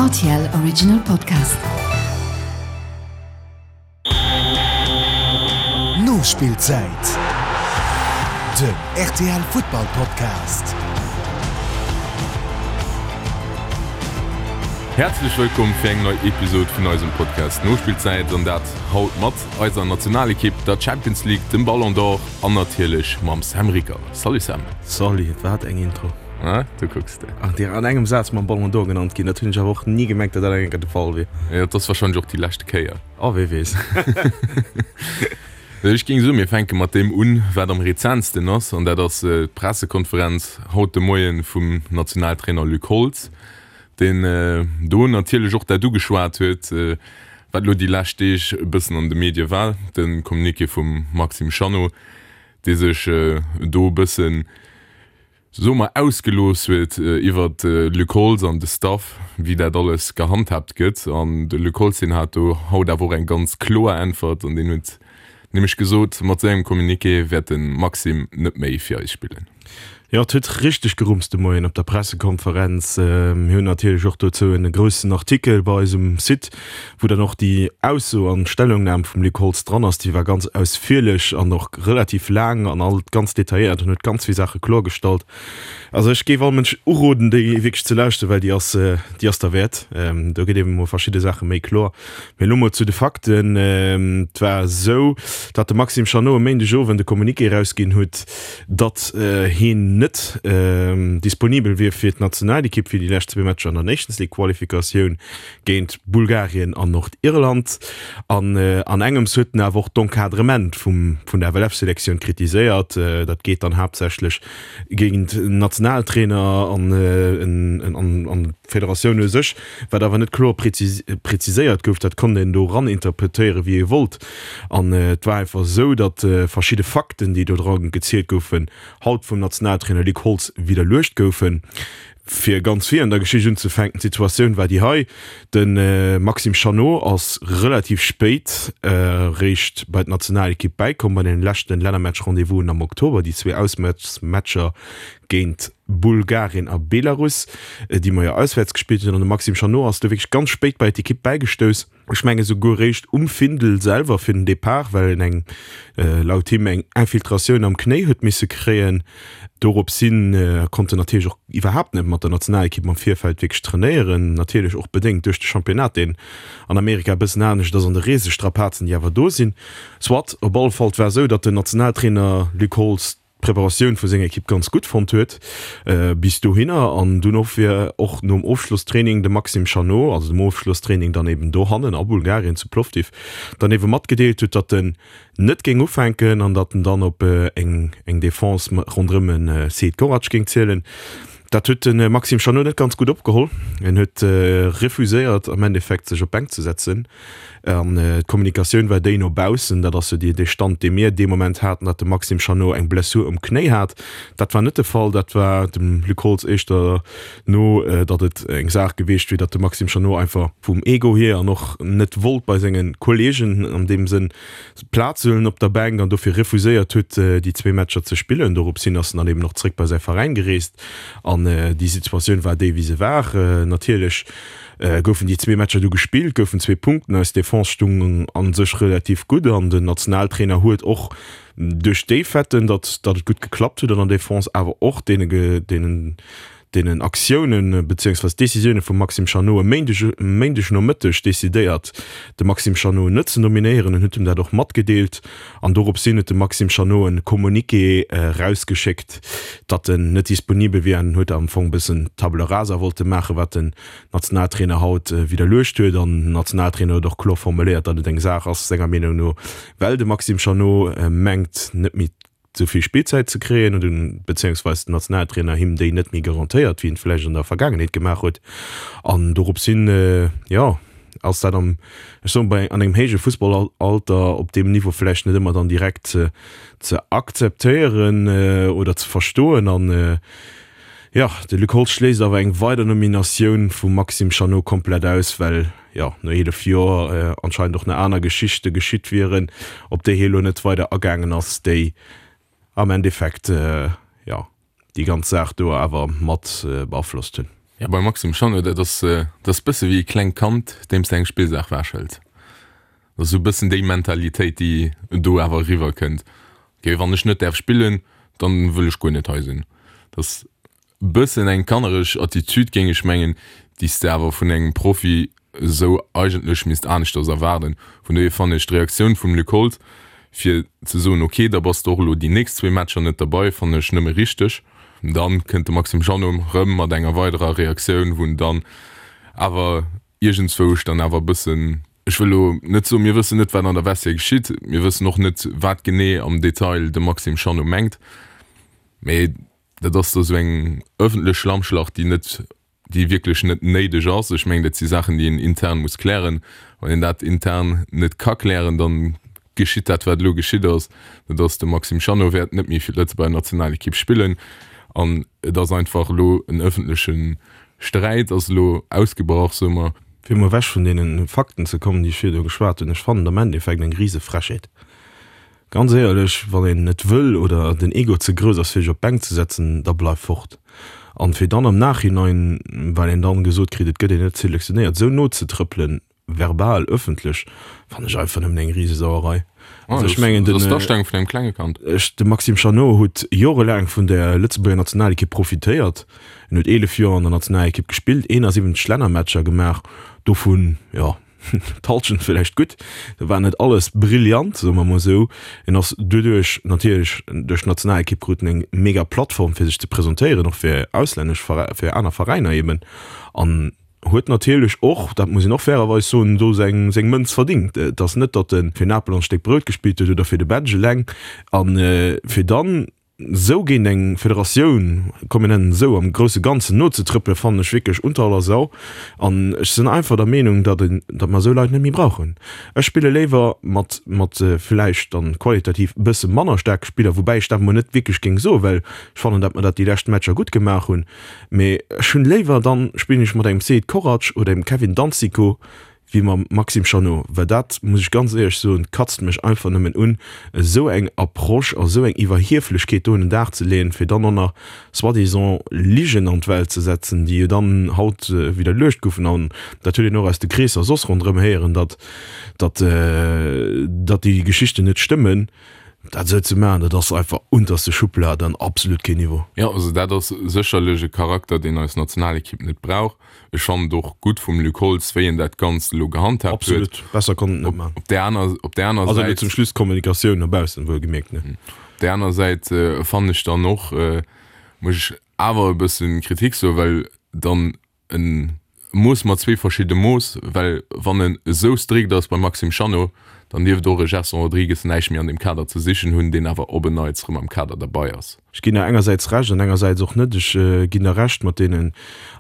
RTL Original Podcast. Nospillzäit, den rtl Futtball Podcast. Häerzlech wëllkomm fir eng nei Episode vun eisem Podcast Nospillzäit an dat haut mat eiser Nationalekipp, der Champions League, dem Ballon d'Or an natierlech mam Sam Ricker. Salut Sam. Salut, wat eng Intro. Ah, du kucks de. Ach, déi an engem Saz mam Ballon d'Or genannt ginn, dat hunn ech awer och ni gemengt, datt dat eng Kéier de Fall wier. Jo, et ass wahrscheinlech och déi leschte Kéier. Oh, wee weess. Ech géing soen, mir fänke mat deem un, wat am rezentsten ass, an dat ass d'Pressekonferenz haut de Moie vum Nationaltrainer Luc Holtz, deen do natierlech och dat ugeschwat huet, wat elo déi lescht Deeg e bëssen an de Medie war, de Communiqué vum Maxime Chanot, dee sech do e bëssen, soe mer, ausgelooss huet iwwer de Luc Holtz an de Staff, wéi dat alles gehandhaabt gëtt. An de Luc Holtz, deen hat do haut awer och eng ganz kloer Äntwert an deen huet nämlech gesot, mat sengem Communiqué wäert de Maxime net méi fir eis spillen. Jo, et huet richteg gerumst de Moien op der Pressekonferenz. Mir hunn natierlech och dozou en groussen Artikel bei eis um Site, wou dann och déi Ausso an Stellungnam vum Luc Holtz dran ass. Déi war ganz ausführlech an och relativ laang an all ganz detailléiert an huet ganz vill Saache kloergestallt. Also ech géif all Mënsch uroden, déi wierklech ze lauschten, well déi ass, déi ass derwäert. Do gëtt eben emol verschidde Saache méi kloer. Mee elo mol zu de Fakten. Et war esou, datt de Maxime Chanot e Méindegowend e Communiqué erausginn huet, datt hien net disponibel wier fir d'Nationalekipp fir déi lescht zwee Matcher an der Nations League Qualifikatioun géint Bulgarien an Nordirland. An an engems huet en awer och d'Encadrement vum vun der FLF-Selektioun kritiséiert. Dat geet dann haaptsächlech géint den Nationaltrainer an an d'Federatioun u sech, wat awer net kloer preziséiert gouf. Dat konnt een do ran interpretéieren, wéi ee wollt. An et war einfach esou, datt verschidde Fakten, déi do dra gezielt goufen, haut vum Nationaltrainer Luc Holtz widderluecht goufen. Fir ganz vir an der Geschicht unzefänken, d'Situatioun war déi hei, De Maxime Chanot ass relativ spéit réischt bei d'Nationalekipp bäikomm, bei den leschten Lännermatch-Rendez-vousen am Oktober, déi zwee Auswäertsmatcher géint Bulgarien a Belarus, déi mer jo auswäerts gespillt hunn. An de Maxime Chanot ass do wierklech ganz spéit bei d'Ekipp bäigestouss. Ech menge souguer réischt um Findel selwer fir den Depart, well en eng, laut him, eng Infiltratioun am Knéi huet misse kréien. Dorops hin konnt en natierlech och iwwerhaapt net mat der Nationalekipp am Virfeld wierklech trainéieren, natierlech och bedéngt duerch de Championnat, deen an Amerika e bëssen anescht ass an de Reesestrapazen, déi awer do sinn. Soit, op alle Fall, et war esou, datt den Nationaltrainer Luc Holtz d'Preparatioun vu senger Ekipp ganz gutt fonnt huet bis dohinner an dunn och fir och nom Ofschlosstraining de Maxime Chanot, also dem Ofschlosstraining dann eben dohannen a Bulgarien zu Plovdiv, dann ebe matgedeelt huet, datt en net géing ufänken an datt en dann op eng eng Defense ronderëm e Sead Korac géing zielen. Dat huet de Maxime Chanot net ganz gutt opgeholl. En huet refuséiert am Endeffekt sech op d'Bänk ze setzen an d'Kommunikatioun war déi no baussen, dat ass jo dee Stand dee mir dee Moment haten, datt de Maxime Chanot eng Blessur um Knéi hat. Dat war net de Fall, dat war dem Luc Holtz éischter no, datt et eng Saach gewiescht wier, datt de Maxime Chanot einfach vum Ego hier an och net wollt bei senge Kolleegen an deem Sënn Plaz huelen op der Bänk an dofir refuséiert huet, déi zwee Matcher ze spillen. Dorops hin ass en dann eben och zréck bei säi Veräin gereest an déi Situatioun war déi, wéi se war. Natierlech goufen déi zwee Matcher du gespillt, goufen zwee Punkten. Eis Defense stung a sech relativ gutt an den Nationaltrainer huet och duerch déi Faiten, datt datt et gutt geklappt huet an der Defense, awer och deene deenen deenen Aktiounen beziéungsweis Décisioune vum Maxime Chanot e Méindeg e Méindegnomëtteg decidéiert, de Maxime Chanot net ze nominéieren. En huet him dat och matgedeelt an dorops hin huet de Maxime Chanot e Communiqué erausgeschéckt, datt en net disponibel wier an huet am Fong e bëssen Table rasa wollte maachen, wat den Nationaltrainer haut widderluecht huet. An den Nationaltrainer huet och kloer formuléiert, datt et eng Saach ass, senger Meenung no, well de Maxime Chanot mengt, net méi sou vill Spillzäit ze kréien oder bezéiungsweis den Nationaltrainer him déi net méi garantéiert, wéi en et vläicht an der Vergaangenheet gemaach huet. An dorops hin, jo, ass dat am, ech soen, bei an engem héije Fussballalter op deem Niveau vläicht net ëmmer dann direkt ze ze akzeptéieren oder ze verstoen. An, jo, de Luc Holtz schléisst awer eng weider Nominatioun vum Maxime Chanot komplett aus, well, jo, no 11 Joer anscheinend och nach aner Geschichte geschitt wieren, op déi hie lo net weider agaangen ass, déi am Endeffekt, jo, déi ganz Saach do awer mat beaflosst hunn. Jo, beim Maxime Chanot, dat ass, dat ass bësse wéi e klengt Kand, deem s de eng Spillsaach wechhëls. Dat ass esou e bëssen déi Mentalitéit, déi do awer eriwwer kënnt. Ok, wann ech net däerf spillen, dann wëll ech guer net hei sinn. Dat ass e bëssen eng kannereg Attitude, géing ech mengen, déi s de awer vun engem Profi esou eigentlech misst aneschters erwaarden. Vun dohier fannen ech d'Reaktioun vum Luc Holtz, fir ze soen, ok, da bass de och elo déi nächst zwee Matcher net derbei, fannen ech nëmme richteg. Dann kënnt de Maxime Jeannot rëm mat enger weiderer Reaktioun, wou en dann awer iergendzwousch dann awer e bëssen, ech wëll elo net soen, mir wëssen net, wat an der Vestiaire geschitt, mir wëssen och net, wat genee am Detail de Maxime Jeannot mengt, mee dat ass da sou eng ëffentlech Schlammschlacht, déi net déi wierklech net néideg ass. Ech mengen, dat si Saachen, déi een intern muss klären. Wann een dat intern net ka klären, da geschitt dat, wat elo geschitt ass, dat ass, de Maxime Chanot wäert net méi fir d'Lëtzebuerger Nationalekipp spillen an et ass einfach elo en ëffentleche Sträit ass elo ausgebrach, soe mer. Fir emol ewech vun deene Fakten ze kommen, déi ech virdu geschwat hunn, ech fannen et am Endeffekt eng rise Frechheet. Ganz éierlech, wann een net wëll oder den Ego ze grouss ass fir sech op d'Bänk ze setzen, da bleif fort. An fir dann am Nachhinein, well een dann gesot kritt, et gëtt een net selektionéiert, esou nozetrëppelen, verbal, ëffentlech, fannen ech einfach nëmmen eng Risesauerei. Also ech mengen den, Dat ass d'Astellung vun engem klenge Kand. Ech, de Maxime Chanot huet jorelaang vun der Lëtzebuerger Nationalekipp profitéiert. En huet 11 Joer an der Nationalekipp gespillt, 71 Lännermatcher gemaach, dovun, jo, D'Halschent villäicht gutt, do war net alles brillant, soe mer mol esou. En ass doduerch natierlech duerch d'Nationalekipp krut en eng mega Plattform fir sech ze presentéieren, och fir auslännesch Veräi fir aner Veräiner eben an huet natierlech och, dat muss een och fairerweis soen, do seng seng Mënz verdingt. Et ass net, datt e fir Napel an d'Stéck Brout gespillt huet oder fir de Badge eleng an fir dann Esou géint eng Federatioun, komm mir nennen et esou, am grousse Ganzen nozetrëppelen, fannen ech wierklech unter aller Sau. An ech sinn einfach der Meenung, datt een, datt mer esou Leit net méi brauchen. Ech spille léiwer mat, mat vläicht dann qualitativ e bësse manner staarke Spiller, woubäi ech dat emol net wierklech géing soen, well ech fannen, datt mer dat déi lescht Matcher gutt gemaach hunn. Mee ech hunn léiwer, dann spillen ech mat engem Seid Korac oder engem Kevin Danzico, wéi mam Maxime Chanot, well dat, muss ech ganz éierlech soen, katzt mech einfach nëmmen un, esou eng Approche a esou eng Iwwerhieflechkeet do un den Dag ze leeën, fir dann och nach soi-disant Ligen an d'Welt ze setzen, déi jo dann haut widderluecht goufen. An dat huet een och aus de Kreesser soss ronderëm héieren, datt, datt, datt déi Geschichten net stëmmen. Dat esou ze maachen, dat ass einfach unterste Schublad an absolut keen Niveau. Jo, also dat ass sécherlech e Charakter, deen eis Nationalekipp net brauch. Ech fannen et och gutt vum Luc Holtz, wéi en dat Ganzt elo gehandhaabt huet. Absolut, besser konnt en net maachen. Op där aner, op där aner Also elo Säit. zum Schluss d'Kommunikatioun no baussen, wuel gemierkt, ne? Op där aner Säit fannen ech dann och, muss ech awer e bësse Kritik soen, well dann e Mooss mat zwee verschidde Mooss, well wann en esou strikt ass beim Maxime Chanot, dann dierft och e Gerson Rodrigues näischt méi an deem Kader ze sichen hunn, deen awer op en Neits erëm am Kader derbei ass. Ech ginn der engersäits Recht an engersäits och net. Ech ginn der Recht mat deenen,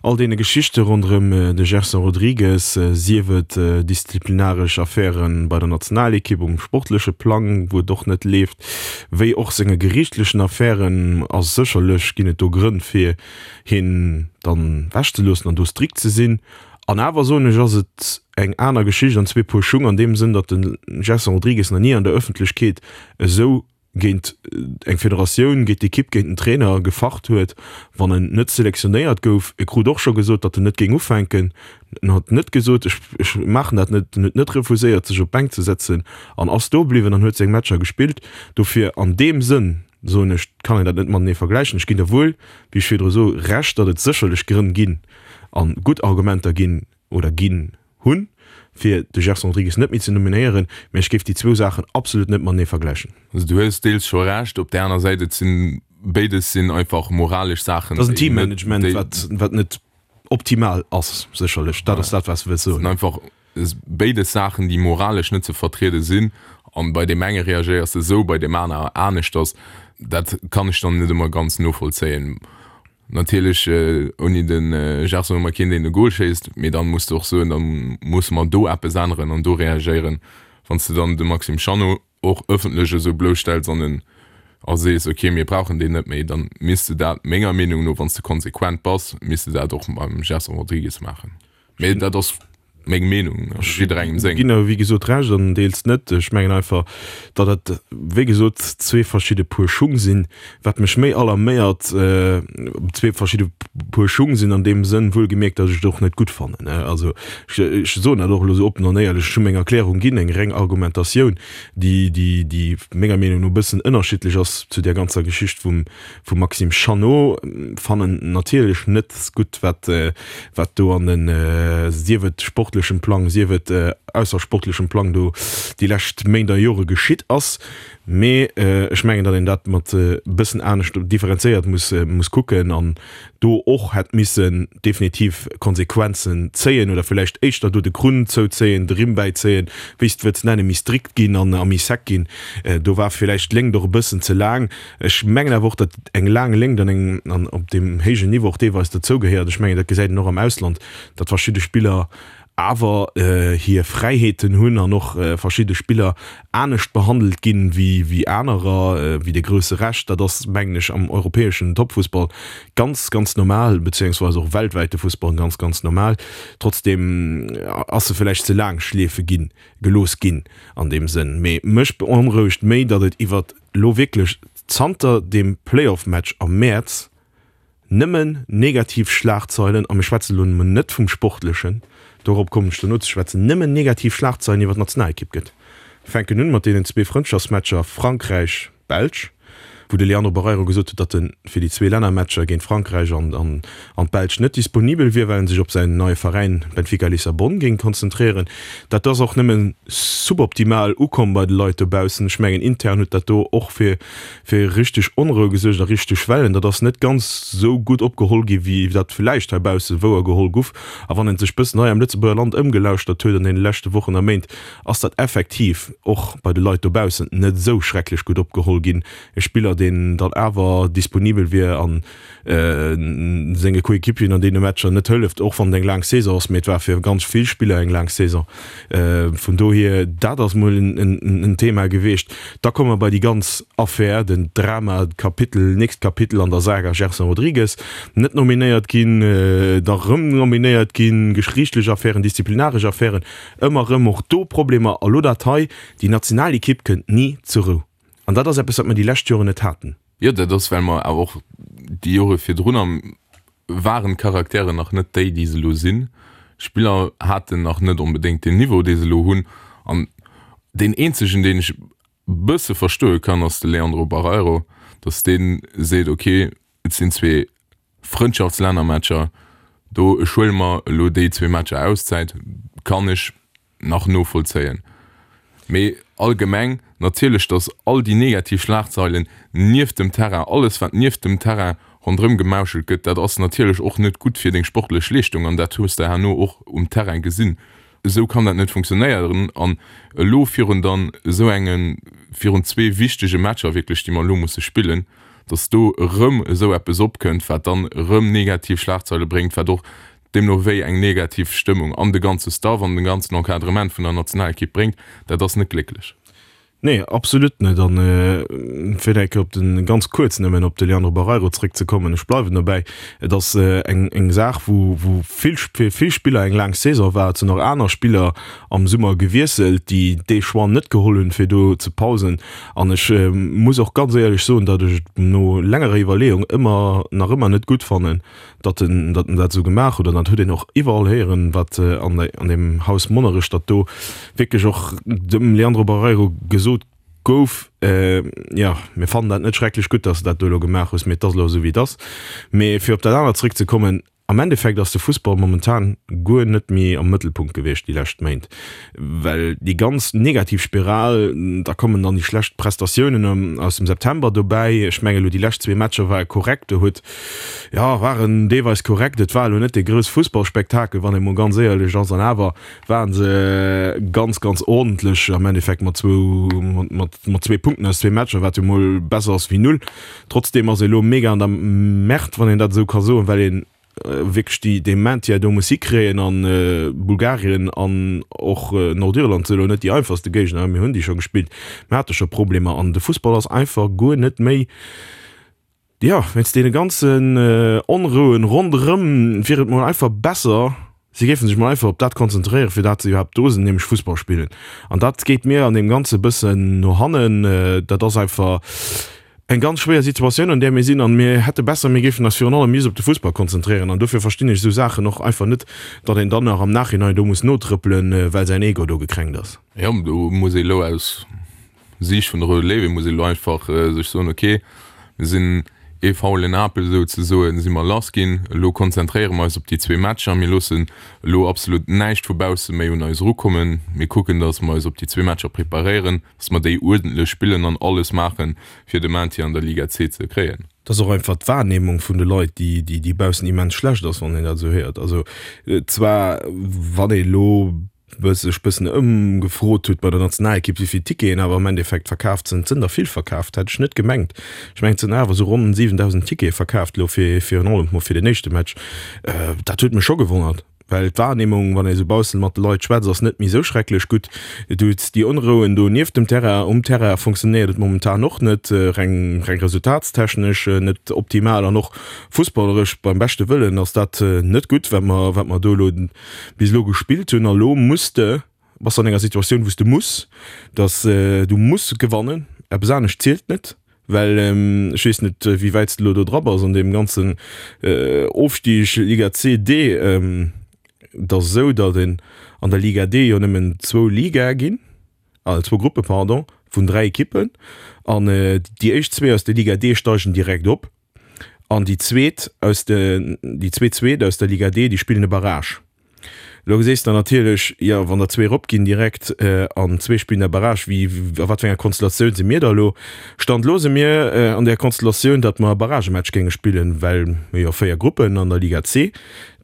all deene Geschichte ronderëm de Gerson Rodrigues, sief et disziplinaresch Affäre bei der Nationalekipp um sportleche Plang, wou et och net leeft, wéi och senge geriichtlechen Affären. A sécherlech ginn et do Grënn, fir hien dann ewechzeloossen an do strikt ze sinn. An awer soen ech, ass et eng aner Geschicht an zwee Puer Schung an deem Sënn, datt de Gerson Rodrigues nach ni an der Ëffentlechkeet esou géint eng Federatioun, géint d'Ekipp, géint den Trainer gefacht huet, wann en net selektionéiert gouf. E krut och scho gesot, datt en net géing ufänken. En huet net gesot, ech, ech maachen dat net. En huet net refuséiert, sech op d'Bänk ze setzen an ass do bliwwen an huet seng Matcher gespillt. Dofir an deem Sënn, soen ech, kann een dat net matenee vergläichen. Ech ginn der wuel, wéi ech virdru sou, Recht, datt et sécherlech Grënn ginn a gutt Argumenter ginn oder ginn hunn, fir de Gerson Rodrigues net méi ze nominéieren, mä ech géif déi zwou Saachen absolut net matenee vergläichen. Also du hues deels scho Recht, op där aner Säit, et sinn, béides sinn einfach moralesch Saachen, Et ass en Teammanagement, wat, wat net optimal ass, sécherlech, dat ass dat, wat s de wëlls soen. Sinn einfach béides Saachen, déi moralesch net ze vertriede sinn, an bei deem enge reagéiers de esou, bei deem aner aneschters. Dat kann ech dann net ëmmer ganz novollzéien. Natierlech ouni de Gerson hu mer keen deen e Goal schéisst, mee dann muss de och soen, dann musse mer do eppes änneren an do reagéieren. Wann s de dann de Maxime Chanot och ëffentlech esou blousstells an en a sees, ok mir brauchen deen net méi, dann misst de dat menger Meenung no, wann s de konsequent bass, misst de dat och beim Gerson Rodrigues maachen. Mee dat ass. Meng Meenung, jidderengem seng. Ginn der wéi gesot Recht an deels net. Ech mengen einfach, datt et wéi gesot zwee verschidde Puer Schung sinn. Wat mech méi alarméiert, zwee verschidde Puer Schung sinn an deem Sënn wuelgemierkt, datt ech et och net gutt fannen. Also ech soen dat och elo esou oppen an éierlech, ech hu meng Erklärung ginn, eng reng Argumentatioun, déi déi menger Meenung no e bëssen ënnerschiddlech ass zu där ganzer Geschicht vum vum Maxime Chanot. Fannen natierlech net gutt wat wat do an den, sief et sportlechem Plang, sief et aussersportlechem Plang do déi lescht Méint a Jore geschitt ass. Mee ech mengen, datt een dat mat e bëssen anescht differenzéiert muss muss kucken an do och hätt missen definitiv Konsequenzen zéien oder villäicht éischter do de Krunn zouzéien, de Rimm bäizéien, wéi s de wëlls nennen, méi strikt ginn an a méi sec ginn. Do war villäicht d'Léngt och e bëssen ze laang. Ech mengen awer och, datt eng laang Léngt an eng an op deem héijen Niveau och deelweis dozou gehéiert. Ech mengen, dat gesäit een och am Ausland, datt verschidde Spiller awer hir Fräiheeten hunn an och verschidde Spiller anescht behandelt ginn wéi wéi anerer, wéi de grousse Rescht. Dat ass, mengen ech, am europäeschen Toppfussball ganz, ganz normal, beziéungsweis och weltwäite Fussball ganz, ganz normal. Trotzdeem ass se vläicht ze laang schleefe ginn, gelooss ginn an deem Sënn. Mee mech beonrouegt méi, datt et iwwert elo wierklech zanter deem Playoff-Match am Mäerz nëmmen negativ Schlagzeilen, a mir schwätzen elo emol net vum Sportlechen, dorop kommen ech dono ze schwätzen, nëmmen negativ Schlagzeilen iwwer d'Nationalekipp gëtt. Mir fänken un mat deenen zwee Frëndschaftsmatcher Frankräich, Belsch, wou de Leandro Barreiro gesot huet, datt e fir déi zwee Lännermatcher géint Frankräich an an d'Belsch net disponibel wier, well en sech op säin neie Veräin Benfica Lissabon géing konzentréieren. Dat ass och nëmme suboptimal ukomm bei de Leit dobaussen. Ech mengen, intern huet dat do och fir fir richteg Onrou gesuergt a richteg Wellen. Dat ass net ganz esou gutt opgeholl gi wéi dat villäicht heibausse wouer geholl guff. A wann een sech bëssen hei am Lëtzebuerger Land ëmgelauschtert huet an deene leschte Wochen a Méint, ass dat effektiv och bei de Leit dobaussen net esou schrecklech gutt opgeholl ginn. E Spiller, deen dann awer disponibel wier an senge Coéquipieren an deene Matcher net hëlleft, och wann et eng laang Saison ass, mee et war fir ganz vill Spiller eng laang Saison. Vun dohier, dat ass mol en Thema gewiescht. Da komme mer bei déi ganz Affär, den Drama, d'Kapitel, nächst Kapitel an der Saga Gerson Rodrigues, net nominéiert ginn, da rëm nominéiert ginn, geriichtlech Affären, disziplinaresch Affären, ëmmer rëm och do Problemer. A lo dat hei, déi Nationalekipp kënnt ni zur Rou. An dat ass eppes, wat mer déi lescht Joren net haten. Jo, dat ass, well mer awer och déi Jore virdrun waren d'Charakteren nach net déi, déi se elo sinn. D'Spiller haten nach net onbedéngt deen Niveau, dee se elo hunn. An deen eenzegen, deen ech e bësse verstoe kann, ass de Leandro Barreiro, datt dee seet, ok, et sinn zwee Frëndschaftslännermatcher do, ech huele mer elo déi zwee Matcher Auszäit, kann ech nach novollzéien. Mee allgemeng natierlech, datt all déi negativ Schlagzeilen nieft dem Terrain, alles wat nieft dem Terrain ronderëm gemauschelt gëtt, dat ass natierlech och net gutt fir deng sportlech Leeschtung an dat hues de herno och um Terrain gesinn. Esou kann dat net funktionéieren an elo virun dann esou enge, virun zwee wichtege Matcher wierklech, déi mer elo musse spillen, datt do erëm esou eppes opkënnt, wat dann erëm negativ Schlagzeile bréngt, wat och deemno wéi eng negativ Stëmmung an de ganze Staff, an de ganzen Encadrement vun der Nationalekipp bréngt, dat ass net glécklech. Nee, absolut net. An fir eng Kéier op de, ganz kuerz nëmmen, op de Leandro Barreiro zréckzekommen, ech bleiwen dobäi, et ass eng, eng Saach, wou, wou vill, fir vill Spiller eng laang Saison war. Et sinn och aner Spiller am Summer gewiesselt, déi dee Choix net geholl hunn, fir do ze pausen. An ech muss och ganz éierlech soen, datt ech et no längerer Iwwerleeung ëmmer, nach ëmmer net gutt fannen, datt en datt en dat esou gemaach huet an dat huet een och iwwerall héieren, wat an an deem Haus Monnerech, datt do wierklech och dem Leandro Barreiro gesot gouf, jo mir fannen dat net schrecklech gutt, datt s de dat do elo gemaach hues, mee et ass elo esou wéi et ass. Mee fir op dat anert zréckzekommen, am Endeffekt ass de Fussball momentan guer net méi am Mëttelpunkt gewiescht déi lescht Méint, well déi ganz negativ Spiral, da kommen dann déi schlecht Prestatiounen aus dem September dobäi, ech mengen elo déi lescht zwee Matcher ware korrekt, do huet Jo, waren deelweis korrekt. Et war elo net dee grouss Fussballspektakel, wann ee mol ganz éierlech ass. An awer waren se ganz, ganz ordentlech am Endeffekt mat zwou, mat, mat zwee Punkten aus zwee Matcher, wat jo mol besser ass wéi null. Trotzdeem ass ee lo mega an der Merde, wann een dat esou ka soen, well een wierklech déi, dee Maintien do muss hikréien. An Bulgarien an och Nordirland si lo net déi einfachste Géigner. Mir hunn déi scho gespillt, mir hate scho Problemer an de Fussball ass einfach guer net méi, Jo, wéinst deene ganzen Onrouen ronderëm wier et mol einfach besser. Si géifen sech mol einfach op dat konzentréieren, fir dat se iwwerhaapt do sinn, nämlech Fussball spillen. An dat geet mir an deem Ganze e bëssen no hannen. Dat ass einfach eng ganz schwéier Situatioun, an där mir sinn. An mir hätte besser, mir géifen eis virun allem just op de Fussball konzentréieren. An dofir verstinn ech esou Saachen och einfach net, datt een dann nach am Nachhinein do muss notrëppelen, well säin Ego do gekränkt ass. Jo, do muss ee elo aus Siicht vun de Roude Léiwe muss ee lo einfach sech soen, ok, mir sinn ee faulen Apel souzesoen, si mer lass ginn, elo konzentréiere mer eis op déi zwee Matcher, mir loossen elo absolut näischt vu bausse méi un eis erukommen, mir kucken, datt mer eis op déi zwee Matcher preparéieren, datt mer déi uerdentlech spillen an alles maachen, fir de Maintien an der Liga C ze kréien. Et ass och einfach d'Wahrnehmung vun de Leit, déi déi baussen immens schlecht ass, wann een dat esou héiert. Also zwar wann ee lo sech bëssen ëmgefrot huet bei der Nationalekipp, wéi vill Ticketen awer am Endeffekt verkaaft sinn. Et sinn der vill verkaaft, hätt ech net gemengt. Ech mengen, et sinn awer esou ronn 7.000 Tickete verkaaft elo fir virun allem mol fir den éischte Match. Dat huet mech scho gewonnert, well d'Wahrnehmung, wann ee sou baussen mat de Leit schwätzt, ass net méi esou schrecklech gutt. Du hues déi Onrouen do nieft dem Terrain. Um Terrain funktionéiert et momentan och net, reng reng resultatstechnesch net optimal an och fussballeresch beim beschte Wëllen ass dat net gutt, wat mer wat mer do elo bis elo gespillt hunn a lo muss de, bass de an enger Situatioun wou s de muss, dass du muss gewannen, eppes anescht zielt net, well ech weess net wéi wäit s de elo do dra bass an deem ganzen Ofstig Liga C, D. Et ass esou, datt een an der Liga D jo nëmmen zwou Ligae ginn, zwou Gruppe pardon, vun 3 Ekippen an déi éischt zwee aus der Liga D steigen direkt op. An déi zweet aus de, déi zwee zweet aus der Liga D, déi spillen e Barrage. Elo geséis de natierlech, jo, wann der zwee eropginn direkt an zwee spillen e Barrage, wéi, a wat fir enger Konstellatioun si mir da elo? Stand elo si mir an där Konstellatioun, datt mer e Barragematch géinge spillen, well mir jo 4 Gruppen an der Liga C,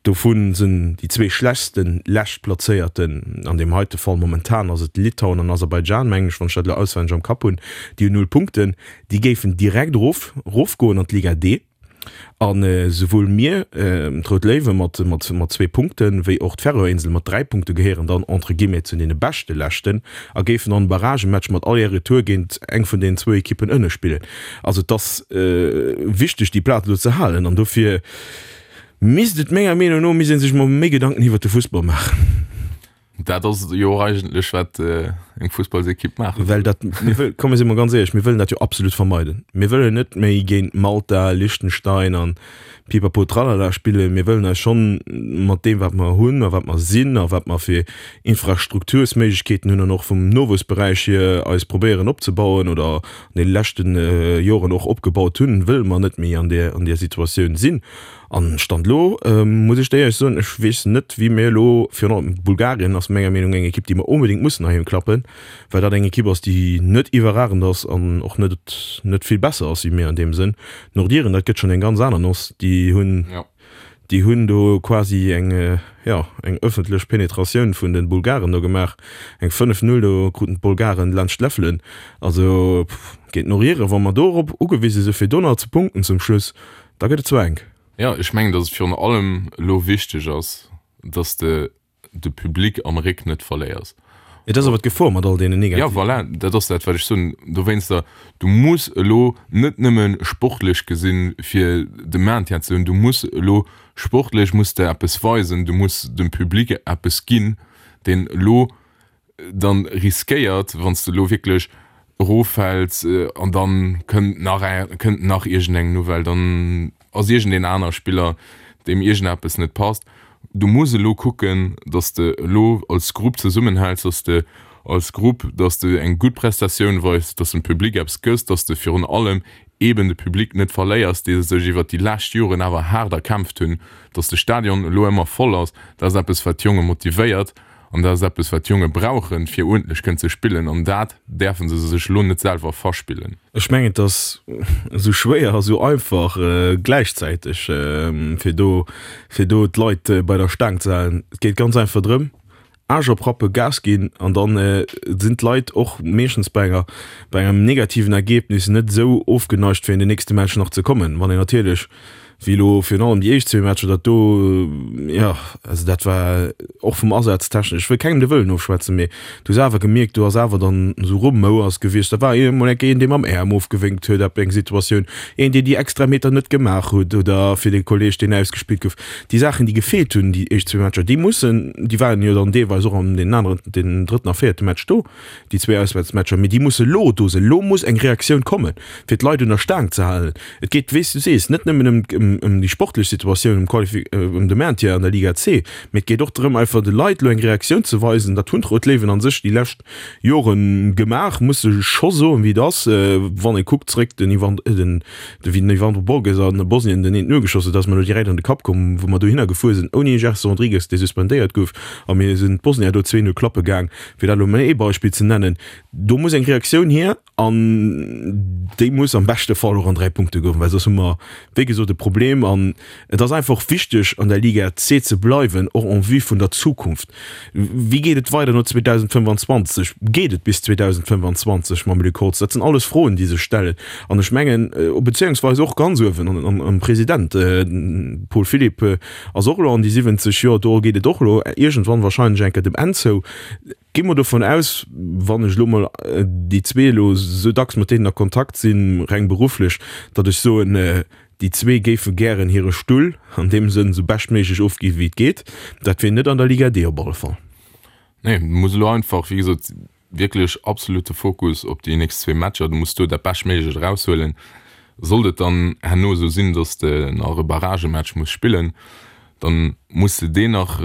dovu sinn déi zwee schlechtsten Leschtplazéierten, an deem heite Fall momentan ass et Litauen an Aserbaidschan, mengen ech, wann ech dat elo auswenneg am Kapp hunn, déi hunn 0 Punkten. Déi géifen direkt erof erofgoen an d'Liga D. An esouwuel mir, d'Rout Léiwe mat mat zwee Punkten, wéi och d'Färöer-Insele mat 3 Punkte gehéieren dann entre guillemets zu deene beschte Leschten a géifen dann e Barragematch mat Aller-Retour géint eng vun deenen zwou Ekippen ënne spillen. Also et ass wichteg déi Plaz elo ze halen an dofir misst et menger Meenung no misst ee sech mol méi Gedanken iwwert de Fussball maachen. Dat ass jo och eigentlech wat eng Fussballsekipp maache soll. Well dat, mir wëll, komm mir si mol ganz éierlech, mir wëllen dat jo absolut vermeiden. Mir wëllen net méi géint Malta, Liechtenstein an Pipapo Tralala spillen. Mir wëllen eis schonn mat deem wat mer hunn a wat mer sinn a wat mer fir Infrastruktursméiglechkeeten hunn an och vum Nowuessberäich hier eis probéieren opzebauen oder an deene leschte Joren och opgebaut hunn, wëlle mer net méi an där, an där Situatioun sinn. An Stand elo muss ech der éierlech soen, ech weess net wéi mir elo, virun allem Bulgarien ass menger Meenung eng Ekipp déi mer onbedéngt mussen heiheem klappen, well dat eng Ekipp ass déi net iwwerragend ass an och net net vill besser ass wéi mir an deem Sënn. D'Nordiren, dat gëtt schonn eng ganz aner Noss, déi hunn déi hunn do quasi eng jo eng ëffentlech Penetratioun vun de Bulgaren do gemaach, eng 5, 0 do kruten d'Bulgaren laanscht d'Läffelen. Also géint d'Noriren, wa mer dorop ugewise si fir do nach ze punkten zum Schluss, Da gëtt et zwar enk. Jo, ech mengen, datt et virun allem elo wichteg ass, datt s de de Public am Réck net verléiers. Et ass awer d'Gefor mat all deenen negativen. Jo, voilà, dat ass dat, wat ech soen. Dowéinster, du muss elo net nëmme sportlech gesinn, fir de Maintien ze hunn, du muss elo sportlech muss de eppes weisen, du muss dem Public eppes ginn, deen elo dann riskéiert, wann s de elo wierklech eroffäls an dann kënnt nach kënnt nach iergendeng Nouvelle, dann ass iergendeen aner Spiller, deem iergendeppes net passt. Du muss elo kucken, datt s de elo als Grupp zesummenhäls, datt s de als Grupp, datt s de eng gutt Prestatioun weis, datt s dem Public eppes gëss, datt s de virun allem eeben de Public net verléiers, dee sech iwwert déi lescht Joren awer haart erkämpft hunn, datt de Stadion elo ëmmer voll ass. Dat ass eppes, wat d'Jonge motivéiert. An dat ass eppes, wat d'Jonge brauchen, fir uerdentlech kënnen ze spillen. An dat däerfe se sech elo net selwer verspillen. Ech mengen, et ass esou schwéier a sou einfach gläichzäiteg, fir do, fir do d'Leit bei der Staang ze halen. Et geet ganz einfach drëm, Aarsch oprappen, Gas ginn an dann sinn d'Leit och meeschtens bei enger, bei engem negativen Ergebnis net esou ofgeneigt, fir an den nächste Match nach ze kommen. Wann een natierlech. Wéi elo virun allem déi éischt zwee Matcher, dat do, jo, also dat war och vum Asaz technesch, ech wëll kengem de Wëllen ofschwätzen, mee du hues awer gemierkt, do ass awer dann esou Rumouers gewiescht. Da war emol eng Kéier een, dee mam Äerm ofgewénkt huet ab eng Situatioun, een, dee déi extra Meter net gemaach huet oder fir de Kolleeg, deen ausgespillt gouf. Déi Saachen, déi gefeelt hunn déi éischt zwee Matcher, déi mussen, déi waren jo dann deelweis och an deenen aneren, den drëtten a véierte Match do. déi zwee Auswäertsmatcher, mee déi musse lo do sinn. Lo muss eng Reaktioun kommen, fir d'Leit un der Staang ze halen. Et geet, wéi s du sees, net nëmmen ëm, ëm déi sportlech Situatioun, ëm d'Qualifi-, ëm de Maintien an der Liga C, mee et geet och drëm, einfach de Leit lo eng Reaktioun ze weisen. Dat hunn d'Rout Léiwen a sech déi lescht Jore gemaach, muss e scho soen, wéi et ass, wann ee kuckt zréck, den Ivan, den, de wéi den Evandro Borges a Bosnien den eent nogeschoss huet, ass mer lo direkt an de Kapp komm, wou mer dohinner gefuer sinn ouni Gerson Rodrigues, dee suspendéiert gouf, a mir sinn d'Bosnier do 2, 0 klappe gaang. Fir dat elo mol ee Beispill ze nennen, do muss eng Reaktioun hier an déi muss am beschte Fall och an 3 Punkte goen, well soss hu mer wéi gesot e Problem. An et ass einfach och wichteg an der Liga C ze bleiwen, och en vue vun der Zukunft. Wéi geet et weider no 2025? Geet et bis 2025 mam Luc Holtz? Dat sinn alles Froen, déi sech stellen. An ech mengen, beziéungsweis och ganz uewen am President Paul Philipp, Ass och elo an déi 70 Joer, do geet et och elo iergendwann wahrscheinlech eng Kéier dem Enn zou. Gi mer dovun aus, wann ech elo mol déi zwee elo esou dacks mat deenen a Kontakt sinn, reng berufflech, datt ech soen, déi zwee géife gären hire Stull an deem Sënn esou beschtméiglech ofgi wéi et geet. Dat wier net an der Liga D op alle Fall. Nee, muss elo einfach, wéi gesot, Wierklech absolute Fokus op déi nächst zwee Matcher. Du muss do dat Beschtméiglecht eraushuelen. Sollt et dann herno esou sinn, dass de nach e Barragematch muss spillen, dann muss de deen nach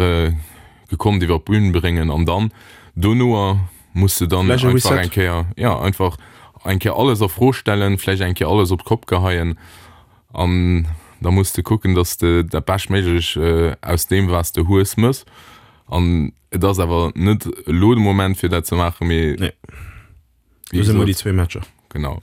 gekonnt iwwer d'Bün bréngen an dann donoer muss de dann Vläicht e einfach Reset. eng Kéier, jo, einfach eng Kéier alles a Fro stellen, vläicht eng Kéier alles op d'Kopp geheien an da muss de kucken, dass de dat Beschtméiglech aus deem, wat s de hues, mëss an Et ass awer net elo de Moment fir dat ze maachen, mee Nee. Do si mer déi zwee Matcher. Genau.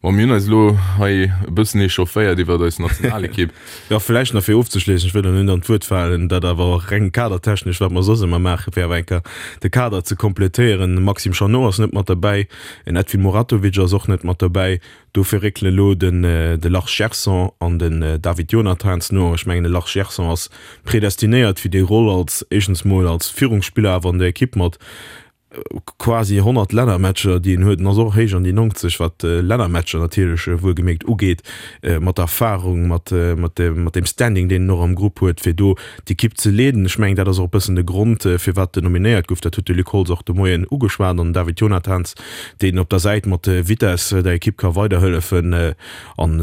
Bon, mir hunn eis elo hei e bëssen echaufféiert iwwer eis Nationalekipp. Jo, vläicht nach fir ofzeschléissen, ech wëll der net an d'Wuert falen, dat awer och reng kadertechnesch, wat mer soss ëmmer maachen, fir awer eng Kéier de Kader ze kompletéieren. De Maxime Chanot ass net mat derbäi, en Edvin Muratovic ass och net mat derbäi. Dofir réckelen elo den de Lars Gerson an den David Jonathans no. Ech mengen de Lars Gerson ass predestinéiert fir déi Roll als éischtens mol als Führungsspiller awer an der Ekipp mat quasi 100 Lännermatcher déi en huet. En ass och héich an déi 90 wat Lännermatcher natierlech wuelgemierkt ugeet, mat der Erfahrung, mat mat dem Standing deen en och am Grupp huet fir do d'Ekipp ze leeden. Ech mengen dat ass och e bëssen de Grond firwat en nominéiert gouf. Dat huet de Luc Holtz och de Moien ugeschwat an den David Jonathans deen op der Säit mat Vitess der Ekipp ka weiderhëllefen. An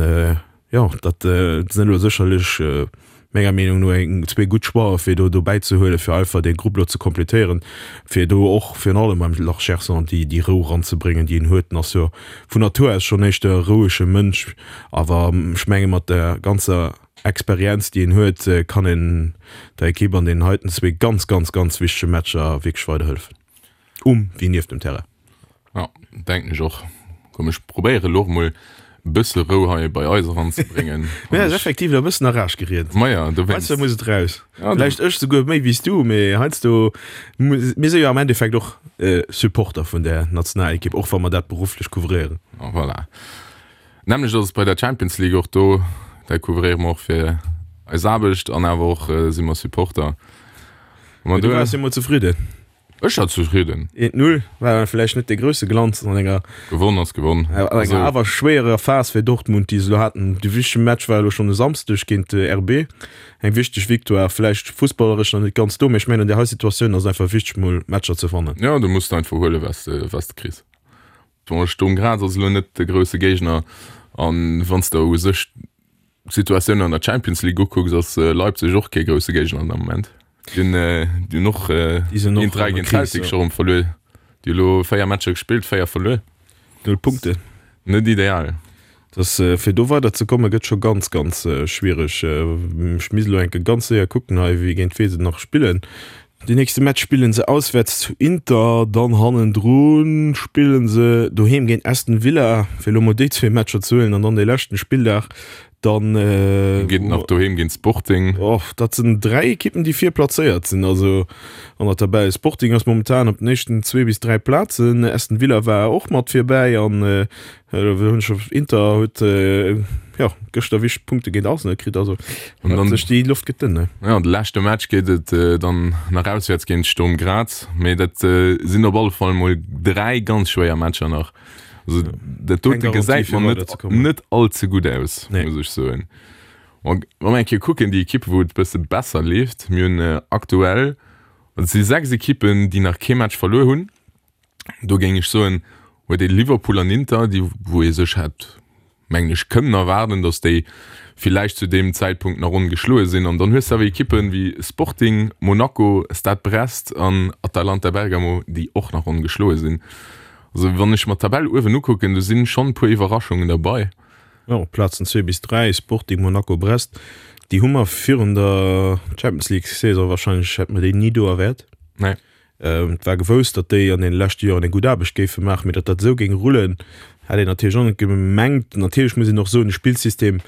jo, dat sinn elo sécherlech menger Meenung no eng zwee gutt Choixen, fir do dobäi ze huelen, fir einfach dee Grupp elo ze kompletéieren, fir do och virun allem beim Lars Gerson déi déi Rou eranzebréngen, déi en huet. En ass jo vun Natur aus schonn éischter e rouege Mënsch, awer ech menge mat der ganzer Experienz, déi en huet, kann en der Ekipp an deenen heiten zwee ganz, ganz, ganz wichtege Matcher wierklech weiderhëllefen. Um wéi nieft dem Terrain. Ja, denken ech och. Komm ech probéiere lo och mol e bësse Rou hei bei eis eranzebréngen. Mir ass effektiv e bëssen a Rage geriet. Maja, dowéinst. Heiansdo muss et raus. Ja, Vläicht ech souguer méi wéi s du, mee heiansdo, mir si jo am Endeffekt och Supporter vun der Nationalekipp, och wa mer dat berufflech couvréieren. Voilà. Nämlech ass et bei der Champions League och do, dat couvréiere mer och fir eis Aarbecht an awer och si mer Supporter. Ma du waars jo mol zefridden. Ech war zefridden. 1-0 war vläicht net dee grousse Glanz an enger Gewonn ass gewonn. An enger awer schwéierer Phas fir Dortmund, déi se elo haten. De wichtege Match war elo schonn e Samsdeg géint RB. Eng wichteg Victoire, vläicht fussballeresch nach net ganz do, mee ech mengen an där hei Situatioun ass et einfach wichteg mol Matcher ze wannen. Jo, du muss einfach huelen, wat s de kriss. Bon, Sturm Graz ass elo net de grousse Géigner an wann s de u sech d'Situatioun an der Champions League ukucks, ass Leipzig och kee grousse Géigner am Moment. Déi hunn déi hunn och géint 3 géint Celtic scho rëm verluer. Déi hu elo 4 Matcher gespillt, 4 verluer. Null Punkten. Net ideal. Dass fir do weider ze komme gëtt scho ganz ganz schwiereg. Ech misst elo enke ganz séier kucken hei wéi géint wee se nach spillen. Deen nächste Match spillen se auswäerts zu Inter, dann hannendru spillen se doheem géint Aston Villa, fir elo mol déi zwee Matcher ze huelen an dann dee leschten Spilldag. Dann geet et nach doheem géint Sporting. Och dat sinn 3 Ekippen, déi vir plazéiert sinn, also an der Tabell. Sporting ass momentan op den éischten zwee bis 3 Plazen. Aston Villa war och mat virbäi an hunn scho Inter huet jo gëschter wichteg Punkte géint Arsenal kritt. Also an dann sech déi Loft gëtt dënn. Jo, de leschte Match geet et dann nach auswäerts géint Sturm Graz. Mee dat sinn op alle Fall mol 3 ganz schwéier Matcher nach. Also, dat dote gesäit mer net, net all ze gutt aus, nee. muss ech soen. Wa mer eng Kéier kucken, déi Ekippe wou et e bësse besser leeft, mir hunn äh, aktuell, et si 6 Ekippen, déi nach kee Match verluer hunn. Do géing ech soen, huet ee Liverpool an Inter, déi wou ee sech hätt mengen ech, kënnen erwaarden, datt déi villäicht zu deem Zäitpunkt nach ongeschloe sinn. An dann hues de awer Ekippen wéi Sporting, Monaco, Stade Brest an Atalanta Bergamo, déi och nach ongeschloe sinn. Also wann ech mer d'Tabell uewen ukucken, do sinn schonn e puer Iwwerraschungen derbei. Jo, Plazen 2 bis 3, Sporting, Monaco, Brest, déi hu mer virun der Champions League Saison wahrscheinlech, hätte mer déi ni do erwäert. Nee. Et war gewousst, datt déi an deene leschte Joren eng gutt Aarbecht géife maachen, mee datt dat esou géing rullen, hätt een natierlech och net gemengt. Natierlech muss een och soen, de Spillsystem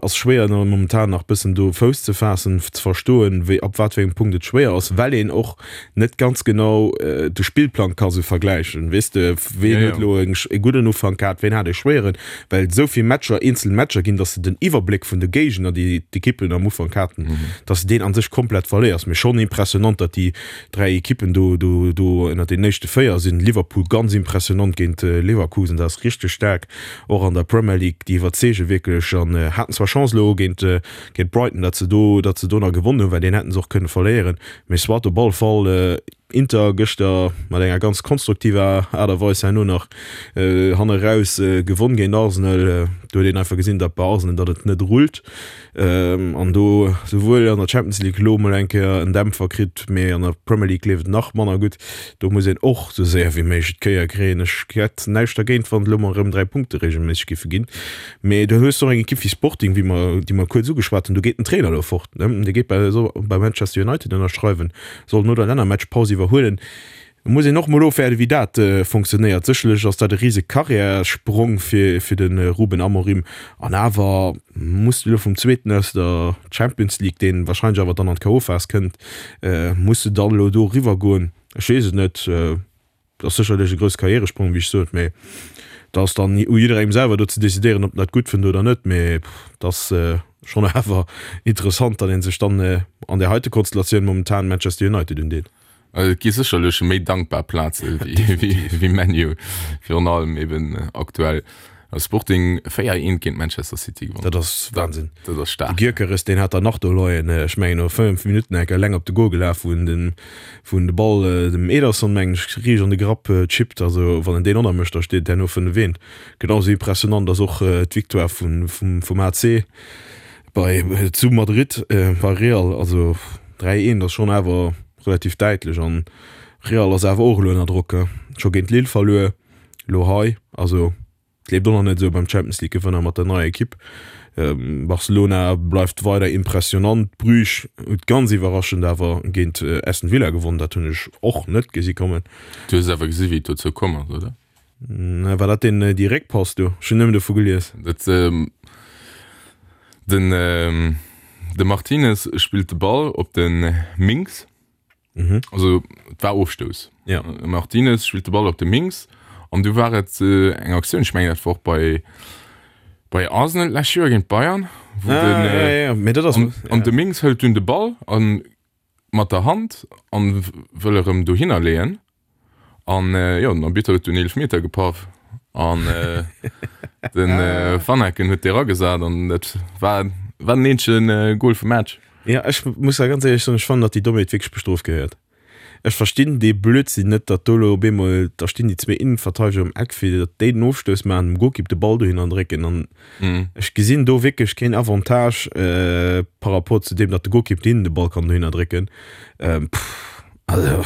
ass schwéier momentan nach bëssen do Fouss ze faassen, ze verstoen, wéi ab wat fir engem Punkt et schwéier ass, well een och net ganz genau de Spillplang ka sou vergläichen. Weess de, ween huet elo e gudden Ufank gehat, ween hat e schwéieren, well et esou vill Matcher, eenzel Matcher ginn, datt s de den Iwwerbléck vun de Géigner, déi d'Ekippen am Ufank haten, datt s de deen a sech komplett verléiers. Mee schonn impressionant, datt déi 3 Ekippen do do do ënnert den éischte 4 sinn. Liverpool ganz impressionant géint Leverkusen, dat ass richteg staark, och an der Premier League, déi iwwerzeege wierklech an haten zwar Chance elo géint géint Brighton, datt se do datt se do nach gewonnen hunn, well deen hätten se och kënne verléieren, mee soit op alle Fall Inter gëschter mat enger ganz konstruktiver Aart a Weis herno nach hanne raus gewonn géint Arsenal. Do huet een einfach gesinn, datt bei Arsenal datt et net rullt. An do souwuel an der Champions League elo mol eng Kéier en Dämpfer kritt, mee an der Premier League leeft et nach manner gutt. Do muss een och sou séier wéi méiglech d'Kéier kréien. Ech hätt näischt dergéint, wann et elo mol erëm 3 Punkte reegelméisseg géife ginn. Mee do hues de och eng Ekipp wéi Sporting, wéi mer, déi mer kuerz ugeschwat hunn. Do geet den Trainer elo fort, ne? Dee geet bei, soll bei Manchester United ënnerschreiwen, soll no der Lännermatchpaus iwwerhuelen. Muss een och mol ofwäerden, wéi dat fonctionnéiert. Sécherlech ass dat e rise Karriärssprong fir fir de Ruben Amorim. An awer muss de elo vum Zweeten aus der Champions League, deen warscheinlech awer dann an d'KO-Phas kënnt, muss de dann elo do eriwwer goen? Ech weess et net. Et ass sécherlech e grousse Karriäresprong, wéi ech sot, mee et ass dann u jidderengem selwer do ze decidéieren, ob en dat gutt fënnt oder net. Mee et ass schonn awer interessant, datt ee sech dann an där heite Konstellatioun momentan Manchester United undeet. Et gi sécherlech méi dankbar Plaze wéi ManU, virun allem eben aktuell. Sporting 4, 1 géint Manchester City gewonnen. Dat ass Wahnsinn. Dat ass staark. De Gyökeres, deen hat der nach do leien, ech mengen no 5 Minutten enk eleng op de Gol gelaf, wou en den, wou en de Ball dem Ederson, mengen ech, riicht an de Grapp chippt. Also wann en deen och nach mécht, da steet et herno 5, 1. Genau esou impressionant ass och d'Victoire vun, vum, vum AC bei, zu Madrid bei Real. Also 3, 1 ass schonn awer relativ däitlech an Real ass awer och elo ënner Drock, scho géint Lille verluer, elo hei, also et leeft och nach net esou beim Champions League Gewënner mat der neier Ekipp. Barcelona bleift weider impressionant, Bruges huet ganz iwwerraschend awer géint Aston Villa gewonnen, dat hunn ech och net gesi kommen. Du hues awer gesi wéi et dozou komm ass, oder? War dat deen déi Réckpass do? Ech hunn nëmmen dovu gelies. Dat den de Martinez spillt de Ball op de Mings. Mhm. Also et war Ofstouss. Ja. Martinez spillt de Ball op de Mings an du war et eng Aktioun, ech mengen dat war och bei bei Arsenal d'lescht Joer géint Bayern, wou ah, den, ja, ja, ja. Mee dat ass, an, an de Mings hëlt dunn de Ball an mat der Hand an wëll erëm dohinner leeën. An jo, den Arbitter huet dunn Eelefmeter gepaff an den Van Aken huet dee ragesat an dat war war den eenzegen Goal vum Match. Jo, ech muss da ganz éierlech soen, ech fannen, datt déi Dommheet wierklech bestrooft gehéiert. Ech verstinn dee Blödsinn net, datt do elo op eemol, da stinn déi zwee Innenverteideger um Eck, fir datt déi den Ofstouss maachen, dem Golkipp de Ball dohinner drécken an ech gesinn do wierklech keen Avantage par rapport zu deem, datt de Golkipp deenen de Ball kann dohinner drécken. Pff. Also.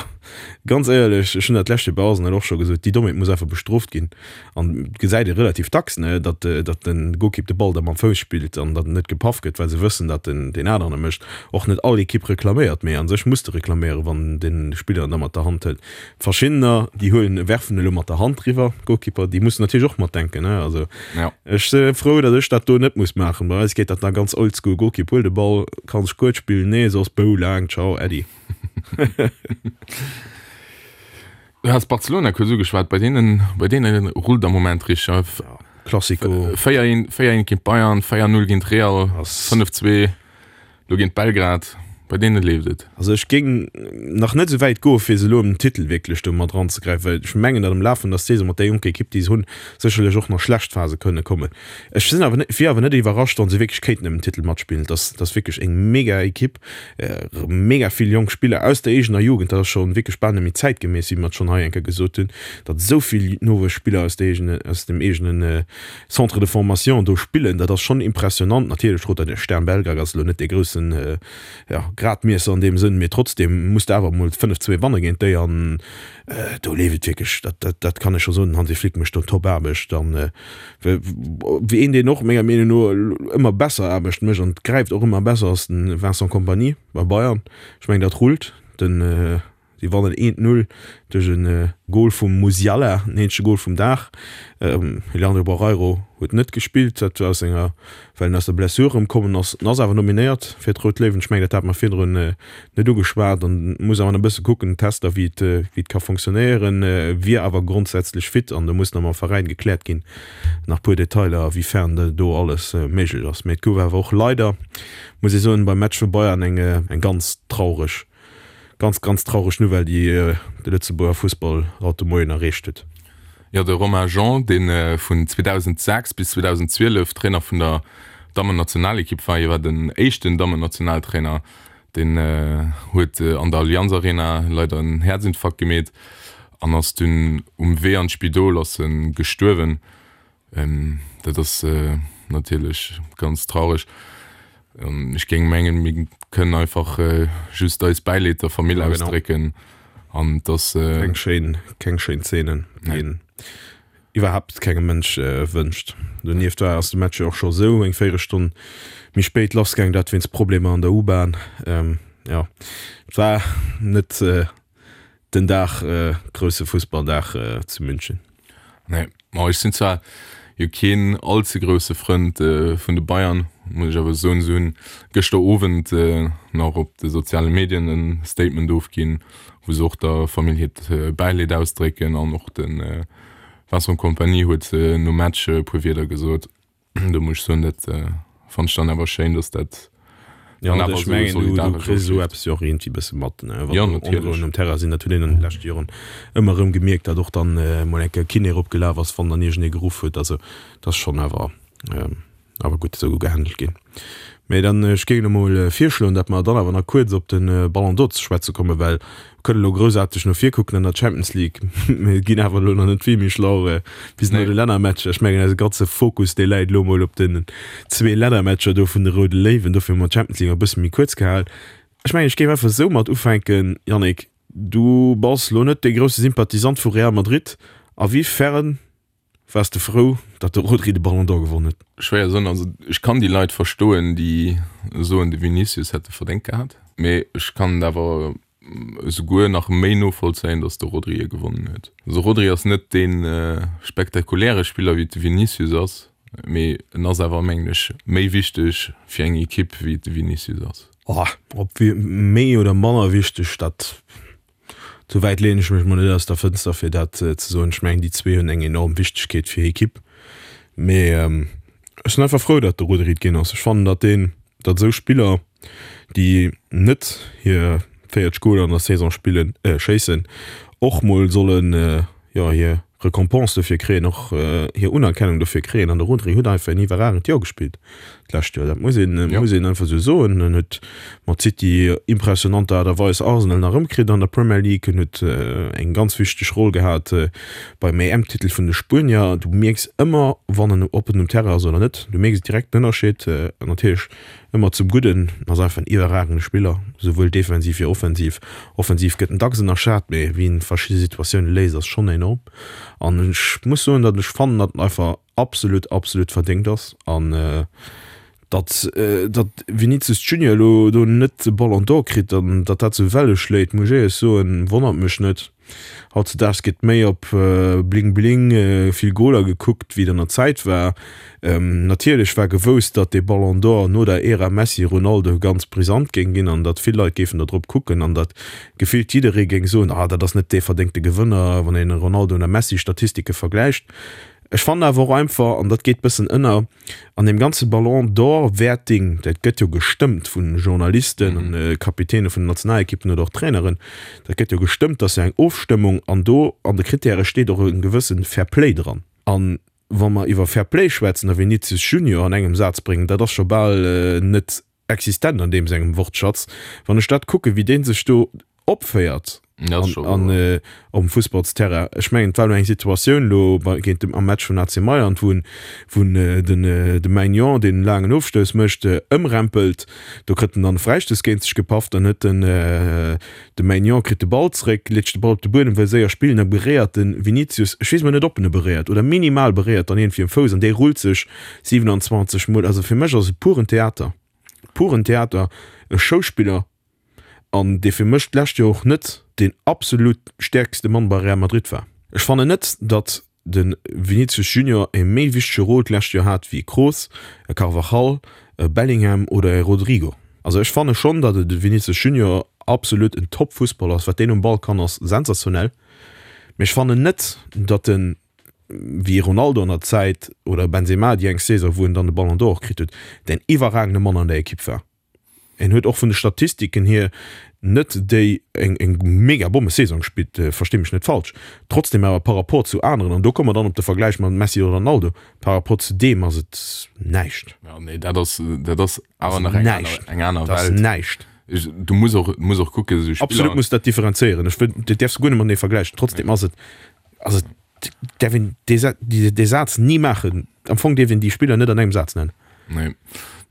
Ganz éierlech, ech hunn dat d'lescht Joer bei Arsenal och scho gesot, déi Dommheet muss einfach bestrooft ginn. An et gesäit ee relativ dacks, ne, datt, datt de Golkipp de Ball da mam Fouss spillt an datt en net gepaff gëtt, well se wëssen, datt en deen aneren e mécht. Och net all Ekipp reklaméiert, mee a sech muss de reklaméieren, wann de Spiller en da mat der Hand hëlt. Verschiddener, déi huelen, werfen elo mat der Hand riwwer, Golkipper, déi mussen natierlech och matdenken, ne. Also ech si frou, datt ech dat do net muss maachen. Bei eis geet dat nach ganz oldschool, Golkipp huel de Ball, kann sech kuerz spillen, nee, soss bou laang, ciao, äddi. Du has Barcelona kuerz ugeschwat, bei deenen, bei deene rullt am Moment richteg. Ja, Classico. 4-1, 4-1 géint Bayern, 4-0 géint Real, 5-2 lo géint Belgrad. Bei deene leeft et. Also ech géing nach net esou wäit goe fir se elo ëm den Titel wierklech do mat eranzegräifen, well ech mengen, datt am Laf vun der Saison mat där jonker Ekipp déi se hunn, sécherlech och nach schlecht Phase kënne kommen. Ech sinn awer net, wier awer net iwwerrascht, wa se wierklech kéinten ëm den Titel matspillen. Et ass, et ass wierklech eng mega Ekipp. Mega vill jonk Spiller aus der eegener Jugend, dat ass scho wierklech bal net méi zäitgemäss, wéi mer et schonn hei eng Kéier gesot hunn, datt esou vill Nowuesspiller aus der eegene, aus dem eegene Centre de formation do spillen, dat ass schonn impressionant. Natierlech Roter Stern Belgrad ass elo net dee groussen, jo, Gradmiesser an deem Sënn, mee trotzdeem muss de awer emol 5, 2 wanne géint déi an do leeft et wierklech, dat, dat, dat kann ech scho soen, den Hansi Flick mécht do Top-Aarbecht an Wéi een, deen och menger Meenung no ëmmer besser Aarbecht mécht an et gräift och ëmmer besser, ass de Vincent Kompany bei Bayern. Ech mengen, dat rullt. Den, si wannen 1, 0 duerch e Gol vum Musiala, den eenzege Gol vum Dag. Leandro Barreiro huet net gespillt, dat aus senger, well en aus der Blessure erëmkommen ass. En ass awer nominéiert fir d'Rout Léiwen. Ech mengen, dat hate mer virdrun net ugeschwat an muss awer nach e bësse kucken, Tester, wéi et, wéi et ka fonctionnéieren, wier awer grondsätzlech fit an do muss nach mam Veräin gekläert ginn, nach puer Detailer, a wéi fern do alles méiglech ass. Mee et gouf awer och leider, muss ee soen, beim Match vu Bayern eng, eng ganz traureg, ganz, ganz traureg Nouvelle, déi de Lëtzebuerger Fussball haut de Moien erreecht huet. Jo, de Romain Jean, dee vun 2006 bis 2012 Trainer vun der Dammennationalekipp war, hie war den éischten Dammennationaltrainer, deen huet an der Allianz Arena leider en Häerzinfarkt gemeet an ass dunn um Wee an d'Spidol ass e gestuerwen. Dat ass natierlech ganz traureg. Ech géing mengen, mir kënnen einfach just eis Bäileed der Famill ausdrécken an dass. Keng schéin, keng schéin Zeenen, déi een iwwerhaapt kengem Mënsch wënscht. Donieft war ass de Match jo och scho sou eng Véierelstonn méi spéit lassgaang, dat wéinst Problemer an der U-Bahn. Jo, et war net den Dag, grousse Fussballdag zu München. Nee, ma ech sinn zwar jo keen all ze grousse Frënd vun de Bayern, muss ech awer soen, se hunn gëschter Owend nach op de soziale Medien e Statement ofginn, wou se och der Famill hiert Bäileed ausdrécken an och de Vincent Kompany huet nom Match e puer Wierder gesot. Do muss ech soen, dat fannt ech dann awer schéin, dass dat dann awer esou solidaresch ofleeft. Esou eppes jo och iergendwéi bësse mat, ne? Wann do Onrouen um Terrain sinn, dat huet een an de leschte Joren ëmmer erëm gemierkt, datt och dann emol eng Kéier Kiné eropgelaf ass, wann dann iergendee geruff huet. Also dat ass schonn awer awer gutt esou gehandelt ginn. Mee dann, ech géing elo mol virschloen, datt mer dann awer nach kuerz op de Ballon d'Or ze schwätze kommen, well mir kënnen elo groussaarteg no vir kucken an der Champions League, mir ginn awer elo nach net vill méi schlau bis no de Lännermatcher. Ech mengen, eise ganze Fokus, dee läit elo mol op den zwee Lännermatcher do vun de Roude Léiwen. Dofir hu mer d'Champions League e bësse méi kuerz gehal. Ech mengen, ech géif einfach esou mat ufänken, Yannick, du bass elo net dee grousse Sympathisant vu Real Madrid. A wéi fern Waars de frou, datt de Rodri de Ballon d'Or gewonn huet? Schwéier soen, also ech kann déi Leit verstoen, déi soen de Vinicius hätt e verdéngt gehat, mee ech kann et awer esouguer nach méi novollzéien, datt de Rodri e gewonnen huet. Also Rodri ass net dee spektakuläre Spiller wéi et de Vinicius ass, mee en ass awer mengen ech méi wichteg fir eng Ekipp wéi et de Vinicius ass. Oh, ob méi oder manner wichteg, dat Sou wäit leeën ech mech mol net aus der Fënster fir dat ze soen. Ech mengen déi zwee hunn eng enorm Wichtegkeet fir hir Ekipp. Mee ech sinn einfach frou, datt de Rodri et ginn ass. Ech fannen, datt deen, datt esou Spiller, déi net hir 40 Goler an der Saison spillen, schéissen, och mol sollen, jo, hir Recompense dofir kréien, och hir Unerkennung dofir kréien. An de Rodri huet einfach en iwwerragend Joer gespillt. D'lescht Joer, dat muss een, muss een einfach esou soen. En huet mat City impressionanter Aart a Weis Arsenal nach erëmkritt an der Premier League. En huet eng ganz wichteg Roll gehat beim EM-Titel vun de Spuenier. Du mierks ëmmer, wann en, ob en um Terrain ass oder net. Du mierks direkt den Ënnerscheed. Natierlech ëmmer zum Gudden. En ass einfach en iwwerragende Spiller, souwuel defensiv wéi offensiv. Offensiv gëtt en dacks ënnerschat, mee wéi en verschidde Situatioune léist, ass schonn enorm. An ech muss soen, datt ech fannen, datt en einfach absolut absolut verdéngt ass an datt datt Vinicius Junior elo do net de Ballon d'Or kritt an datt dat sou Welle schléit, muss ech éierlech soen, wonnert mech net. Hautzedaags gëtt méi op Bling Bling, vill Goler gekuckt wéi et an der Zäit war. Natierlech war gewousst, datt dee Ballon d'Or no der Ära Messi-Ronaldo ganz brisant géing ginn an datt vill Leit géifen der drop kucken an datt gefillt jidderee géing soen, ah dat ass net dee verdéngte Gewënner, wann een Ronaldo an Messi Statistike vergläicht. Ech fannen awer och einfach, an dat geet bëssen ënner, an deem ganze Ballon d'Or Wäerting, dat gëtt jo gestëmmt vu Journalisten an Kapitäne vun den Nationalekippen oder och Traineren, dat gëtt jo gestëmmt, dat ass jo eng Ofstëmmung an do an de Kritäre steet och e gewësse Fair Play dran. An wa mer iwwer Fair Play schwätzen a Vinicius Junior an engem Saz bréngen, dat ass scho bal net existent an deem sengem Wortschatz. Wann ech dat kucken, wéi dee sech do opféiert an op dem Fussballsterrain, ech mengen, et war elo eng Situatioun elo bei géint dem am Match vun AC Mailand, wou en wou en den de Maignan, deen en laangen Ofstouss mécht, ëmrempelt. Do kritt en dann e Fräistouss géint sech gepaff. Dann huet den de Maignan kritt de Ball zréck, leet sech de Ball op de Buedem, wëll séier spillen, da beréiert de Vinicius, ech weess mol net, ob en e beréiert oder minimal beréiert dann iergendwéi um Fouss an dee rullt sech 27 mol, also fir mech ass et puren Theater, puren Theater, e Schauspiller an dee fir mech d'lescht Joer och net deen absolut stäerkste Mann bei Real Madrid war. Ech fannen net, datt de Vinicius Junior e méi wichtege Rôle d'lescht Joer hat wéi e Kroos, e Carvajal, e Bellingham oder e Rodrygo. Also ech fanne schonn, datt de Vinicius Junior absolut en Top-Fussballer ass, wat deen um Ball kann ass sensationell, mee ech fannen net, datt en wéi Ronaldo an der Zäit oder Benzema déi eng Saison wou en dann de Ballon d'Or och kritt huet, den iwwerragende Mann an der Ekipp war. En huet och vun de Statistiken hier net déi eng eng mega Bommesaison gespillt, versti mech net falsch, trotzdem awer par rapport zu aneren, an do komme mer dann op de Vergläich mat Messi oder Ronaldo, par rapport zu deem ass et näischt. Jo, nee, dat ass dat ass awer nach eng aner eng aner Welt. Dat ass näischt. Du muss och muss och kucken, esou Spiller. Absolut muss dat differenzéieren, ech wëll, dat däerfs de guer net matenee vergläichen, trotzdem ass et ass et däerf een dee dee Saz ni maachen. Am Fong dierf een déi Spiller net an engem Saz nennen. Nee,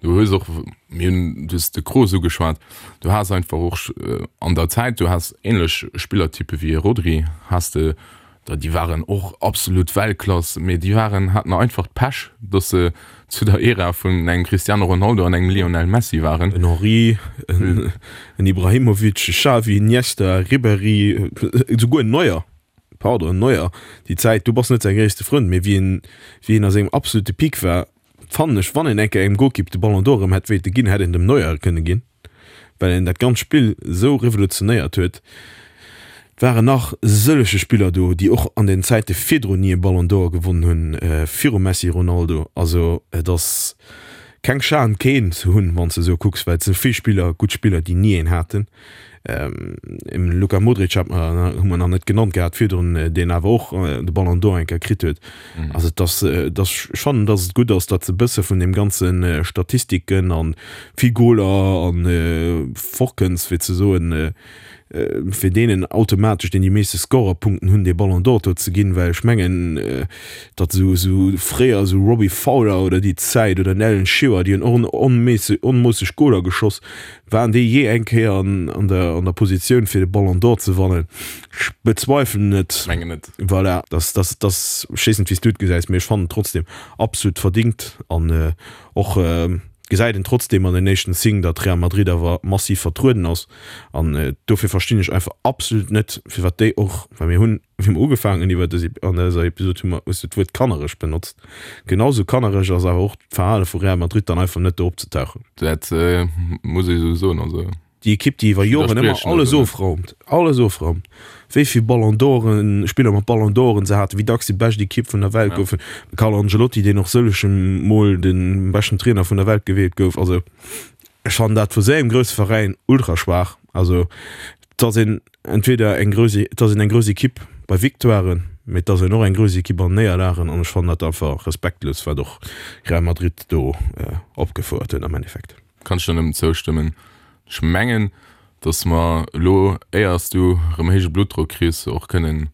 du hues och, mir hunn, du hues de Kroos ugeschwat, du has einfach och an der Zäit, du has ähnlech Spillertyppe wéi e Rodri has de, da déi waren och absolut Weltklass, mee déi waren, haten einfach d'Pech, datt se zu der Ära vun engem Cristiano Ronaldo an engem Lionel Messi waren. En Henry, en Ibrahimovic, e Xavi, Iniesta, Ribéry, esouguer en Neuer. Pardon, Neuer, déi Zäit, du bass net säi gréisste Frënd, mee wéi en, wéi en a sengem absolute Peak war, fannen ech, wann een eng Kéier engem Golkipp de Ballon d'Or erëm hätt wéilte ginn, hätt een dem Neuer e kënne ginn, well en dat ganzt Spill esou revolutionéiert huet. Et waren nach sëllege Spiller do, déi och an den Zäite virdrun ni e Ballon d'Or gewonnen hunn, virum Messi, Ronaldo. Also et ass keng Schan keen ze hunn, wann s de esou kucks, well et si vill Spiller, gutt Spiller, déi ni een haten. Ähm, Luka Modric hat mer, hu mer nach net genannt gehat virdrun, deen awer och de Ballon d'Or eng Kéier kritt huet. Mhm. Also et ass, et ass, ech fannen, datt et gutt ass, datt se e bësse vun deem ganze Statistiken an vill Goler an fortkënns, fir ze soen, fir deenen automatesch, deen déi meeschte Scorerpunkten hunn, dee Ballon d'Or do ze ginn, well ech mengen, datt esou, esou fréier esou Robbie Fowler oder déi Zäit oder en Alan Shearer, déi hunn och onmoosseg Goler geschoss, Waren déi jee eng Kéier an, an der, an der Positioun fir de Ballon d'Or ze wannen? Ech bezweifelen et. Mengen net. Voilà, das, das, das, ech weess net wéi s du et gesäis, mee ech fannen et trotzdem absolut verdingt an och gesäit een trotzdem an den éischten Signe, datt Real Madrid awer massiv vertrueden ass an dofir verstinn ech einfach absolut net firwat déi och, well mir hunn, wéi mer ugefaangen hunn iwwer dës, an dëser Episod hu mer, hues du d'Wuert kannereg benotzt. Genau sou kannereg ass awer och d'Verhale vu Real Madrid dann einfach net do opzetauchen. Dat muss ee sou soen, also. Déi Ekipp, déi iwwer Joren ëmmer alles ofraumt, alles ofraumt, wéi vill Ballon d'Oren, Spiller mat Ballon d'Oren se haten, wéi dacks déi bescht Ekipp vun der Welt goufen, de Carlo Ancelotti, deen och sëllege Mol de beschten Trainer vun der Welt gewielt gouf. Also ech fannen dat vu sou engem grousse Veräin ultra schwaach. Also et ass een entweder eng grouss, et ass een eng grouss Ekipp bei Victoiren. Mee et ass en och eng grouss Ekipp an Néierlagen an ech fannen dat einfach respektlos, wat och Real Madrid do opgefouert huet am Endeffekt. Kann ech der nëmmen zoustëmmen. Ech mengen, dass mer elo, éier s du erëm héije Bluttdrock kriss, och kënnen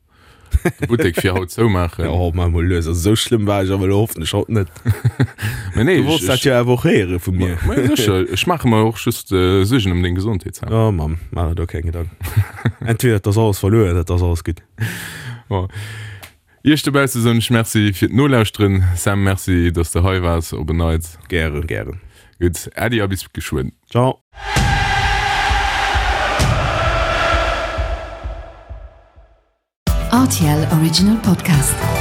de Buttek fir haut zoumaachen. Oh, maach mol lues, also esou schlëmm war ech awer elo hoffentlech haut net. Mä nee, Du wollts dat jo awer och héiere vu mir. Ma jo, sécher, ech maache mer och just Suergen ëm deng Gesondheet, Sam. Oh Mamm, maach der do keng Gedanken. Entweder et ass alles verluer oder et ass alles gutt. Bon. Iech dobausse soen ech Merci fir d'Nolauschteren. Sam, Merci, dass de hei waars op en Neits. Gären, gären. Gutt, Äddi a bis geschwënn. Ciao. RTL Original Podcast.